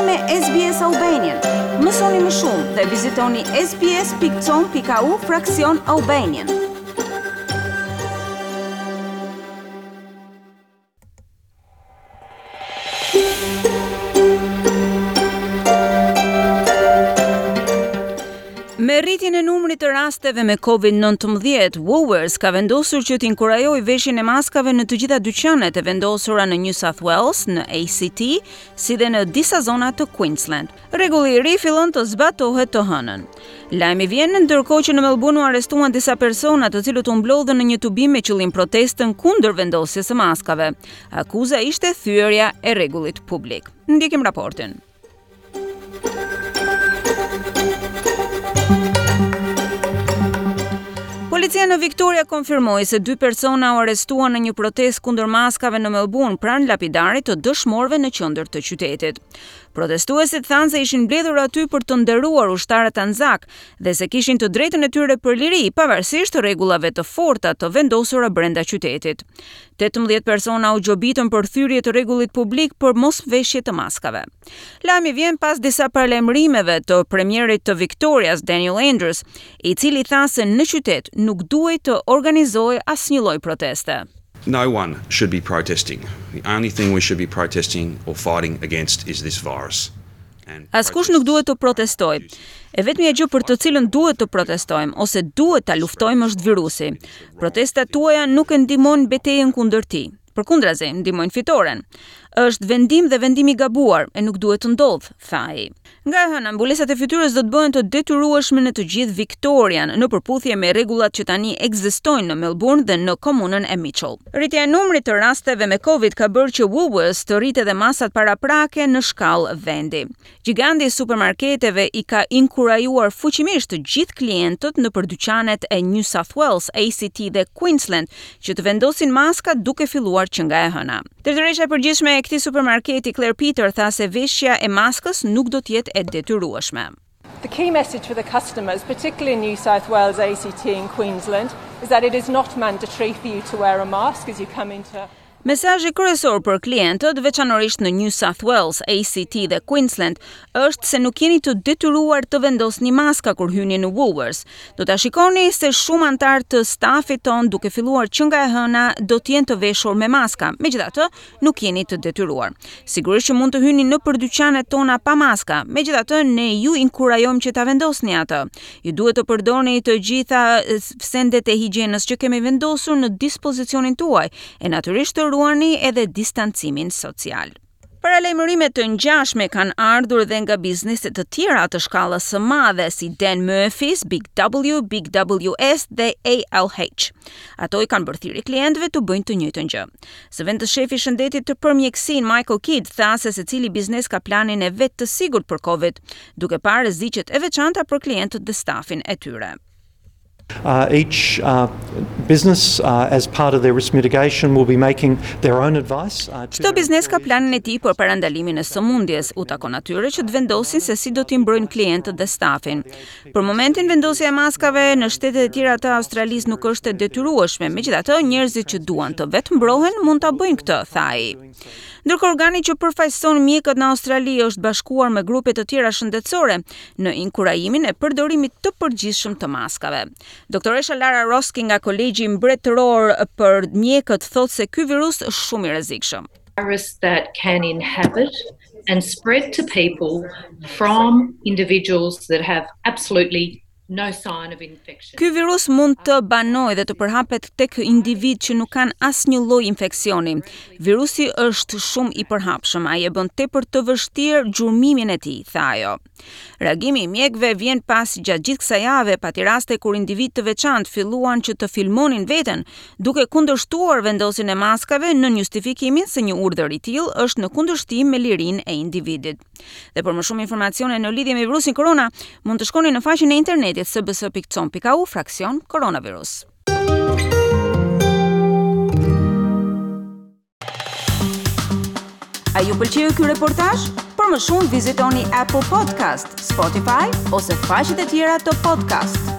me SBS Albanian. Mësoni më shumë dhe vizitoni sbs.com.au fraksion Albanian. Me rritjen e numrit të rasteve me COVID-19, Woolworths ka vendosur që të inkurajojë veshjen e maskave në të gjitha dyqanet e vendosura në New South Wales, në ACT, si dhe në disa zona të Queensland. Rregulli i ri fillon të zbatohet të hënën. Lajmi vjen ndërkohë që në Melbourne u arrestuan disa persona të cilët u mblodhën në një tubim me qëllim protestën kundër vendosjes së maskave. Akuza ishte thyerja e rregullit publik. Ndjekim raportin. Policia në Victoria konfirmoi se dy persona u arrestuan në një protestë kundër maskave në Melbourne pranë lapidarit të dëshmorëve në qendër të qytetit. Protestuesit thanë se ishin mbledhur aty për të nderuar ushtarët Anzac dhe se kishin të drejtën e tyre për liri, pavarësisht rregullave të forta të vendosura brenda qytetit. 18 persona u gjobitën për thyerje të rregullit publik për mosveshje të maskave. Lajmi vjen pas disa paralajmërimeve të premierit të Victorias, Daniel Andrews, i cili tha se në qytet nuk duhej të organizohej asnjë lloj proteste. No one should be protesting. The only thing we should be protesting or fighting against is this virus. Askush nuk duhet të protestojë. E vetmja gjë për të cilën duhet të protestojmë ose duhet ta luftojmë është virusi. Protestat tuaja nuk e ndihmojnë betejën kundër tij. Përkundrazi, ndihmojnë fitoren. Është vendim dhe vendim i gabuar e nuk duhet të ndodhë, tha ai. Nga e hëna, mbulesat e fytyrës do të bëhen të detyrueshme në të gjithë Victorian, në përputhje me rregullat që tani ekzistojnë në Melbourne dhe në komunën e Mitchell. Rritja e numrit të rasteve me Covid ka bërë që Woolworths të rritë edhe masat paraprake në shkallë vendi. Gjigandi i supermarketeve i ka inkurajuar fuqimisht të gjithë klientët nëpër dyqanet e New South Wales, ACT dhe Queensland që të vendosin maska duke filluar që nga e hëna. Drejtoresha e përgjithshme e këtij supermarketi, Claire Peter, tha se veshja e maskës nuk do të jetë e detyrueshme. The key message for the customers, particularly in New South Wales, ACT and Queensland, is that it is not mandatory for you to wear a mask as you come into Mesazhi kryesor për klientët, veçanërisht në New South Wales, ACT dhe Queensland, është se nuk jeni të detyruar të vendosni maska kur hyni në Woolworths. Do ta shikoni se shumë anëtarë të stafit tonë, duke filluar që nga e hëna, do të jenë të veshur me maska. Megjithatë, nuk jeni të detyruar. Sigurisht që mund të hyni nëpër dyqanet tona pa maska. Megjithatë, ne ju inkurajojmë që ta vendosni atë. Ju duhet të përdorni të gjitha sendet e higjienës që kemi vendosur në dispozicionin tuaj e natyrisht të ruani edhe distancimin social. Paralajmërime të ngjashme kanë ardhur dhe nga biznese të tjera të shkallës së madhe si Dan Murphy's, Big W, Big WS dhe ALH. Ato i kanë bërë thirrje klientëve të bëjnë të njëjtën gjë. Zëvendës shefi i shëndetit të për mjekësinë Michael Kidd tha se secili biznes ka planin e vet të sigurt për Covid, duke parë rreziqet e veçanta për klientët dhe stafin e tyre. Uh, each uh, business, uh, as part of their risk mitigation, will be making their own advice. Uh, Çdo biznes ka planin e tij për parandalimin e sëmundjes. U takon atyre që të vendosin se si do t'i mbrojnë klientët dhe stafin. Për momentin vendosja e maskave në shtetet e tjera të Australisë nuk është e detyrueshme. Megjithatë, njerëzit që duan të vetëmbrohen mund ta bëjnë këtë, tha ai. Ndërkohë organi që përfaqëson mjekët në Australi është bashkuar me grupe të tjera shëndetësore në inkurajimin e përdorimit të përgjithshëm të maskave. Doktoresha Lara Roski nga Kolegji Mbretëror për Mjekët thotë se ky virus është shumë i rrezikshëm. Virus that can inhabit and spread to people from individuals that have absolutely no sign of infection. Ky virus mund të banojë dhe të përhapet tek individë që nuk kanë asnjë lloj infeksioni. Virusi është shumë i përhapshëm, ai e bën tepër të vështirë gjurmimin e tij, tha ajo. Reagimi i mjekëve vjen pasi gjatë gjithë kësaj jave pati raste kur individë të veçantë filluan që të filmonin veten, duke kundërshtuar vendosjen e maskave nën justifikimin se një urdhër i tillë është në kundërshtim me lirinë e individit. Dhe për më shumë informacione në lidhje me virusin korona, mund të shkoni në faqen e internetit sbs.com.au fraksion koronavirus. A ju pëlqeu ky reportazh? Për më shumë vizitoni Apple Podcast, Spotify ose faqet e tjera të podcast.